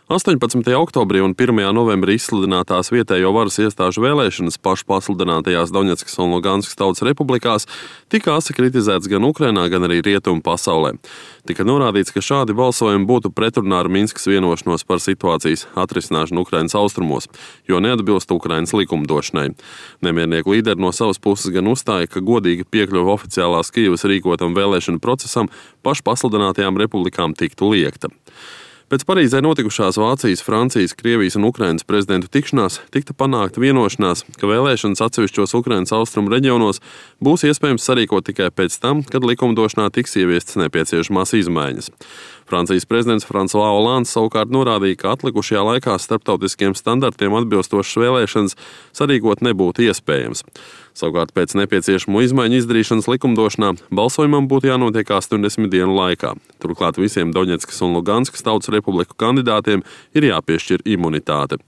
18. oktobrī un 1. novembrī izsludinātās vietējo varas iestāžu vēlēšanas pašpasludinātajās Doņetskas un Luganskas tautas republikās tika asi kritizēts gan Ukrainā, gan arī rietumu pasaulē. Tika norādīts, ka šādi balsojumi būtu pretrunā ar Minskas vienošanos par situācijas atrisināšanu Ukrainas austrumos, jo neatbilst Ukrainas likumdošanai. Nemiernieku līderi no savas puses gan uzstāja, ka godīga piekļuve oficiālās Kijevas rīkotam vēlēšanu procesam pašpasludinātajām republikām tiktu liegta. Pēc Parīzē notikušās Vācijas, Francijas, Krievijas un Ukrainas prezidentu tikšanās tika panākta vienošanās, ka vēlēšanas atsevišķos Ukrainas austrumu reģionos būs iespējams sarīkot tikai pēc tam, kad likumdošanā tiks ieviestas nepieciešamās izmaiņas. Francijas prezidents François Hollands savukārt norādīja, ka atlikušajā laikā starptautiskiem standartiem atbilstošas vēlēšanas sarīkot nebūtu iespējams. Savukārt pēc nepieciešamo izmaiņu izdarīšanas likumdošanā balsojumam būtu jānotiek 80 dienu laikā. Turklāt visiem Doņetskas un Luganskas tautas republiku kandidātiem ir jāpiešķir imunitāte.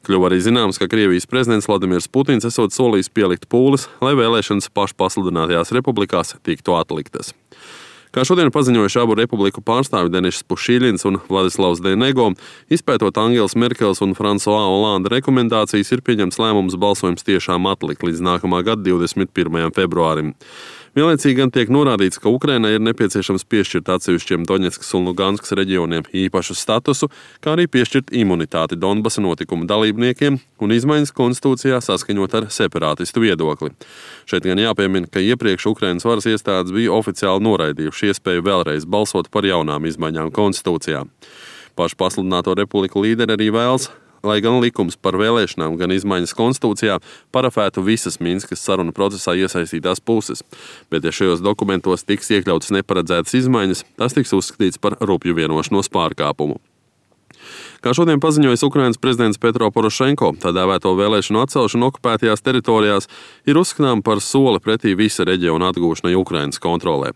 Kļuva arī zināms, ka Krievijas prezidents Vladimirs Putins esot solījis pielikt pūles, lai vēlēšanas pašpasludinātajās republikās tiktu atliktas. Kā šodien paziņojuši abu republiku pārstāvi Deniss Pušīļins un Vladislavs Denego, izpētot Angelas Merkeles un François Hollanda rekomendācijas, ir pieņemts lēmums balsojums tiešām atlikt līdz nākamā gada 21. februārim. Vienlaicīgi gan tiek norādīts, ka Ukrainai ir nepieciešams piešķirt atsevišķiem Doņetskas un Luganskas reģioniem īpašu statusu, kā arī piešķirt imunitāti Donbasa notikuma dalībniekiem un izmaiņas konstitūcijā saskaņot ar separātistu viedokli. Šeit gan jāpiemina, ka iepriekš Ukrainas varas iestādes bija oficiāli noraidījuši iespēju vēlreiz balsot par jaunām izmaiņām konstitūcijā. Pašpasludināto republiku līderi arī vēlas, lai gan likums par vēlēšanām, gan izmaiņas konstitūcijā parafētu visas Minskas sarunu procesā iesaistītās puses, bet ja šajos dokumentos tiks iekļautas neparedzētas izmaiņas, tas tiks uzskatīts par rupju vienošanos pārkāpumu. Kā šodien paziņojis Ukrainas prezidents Petro Porošenko, tā dēvēto vēlēšanu atcelšanu okupētajās teritorijās ir uzskatām par soli pretī visa reģiona atgūšanai Ukrainas kontrolē.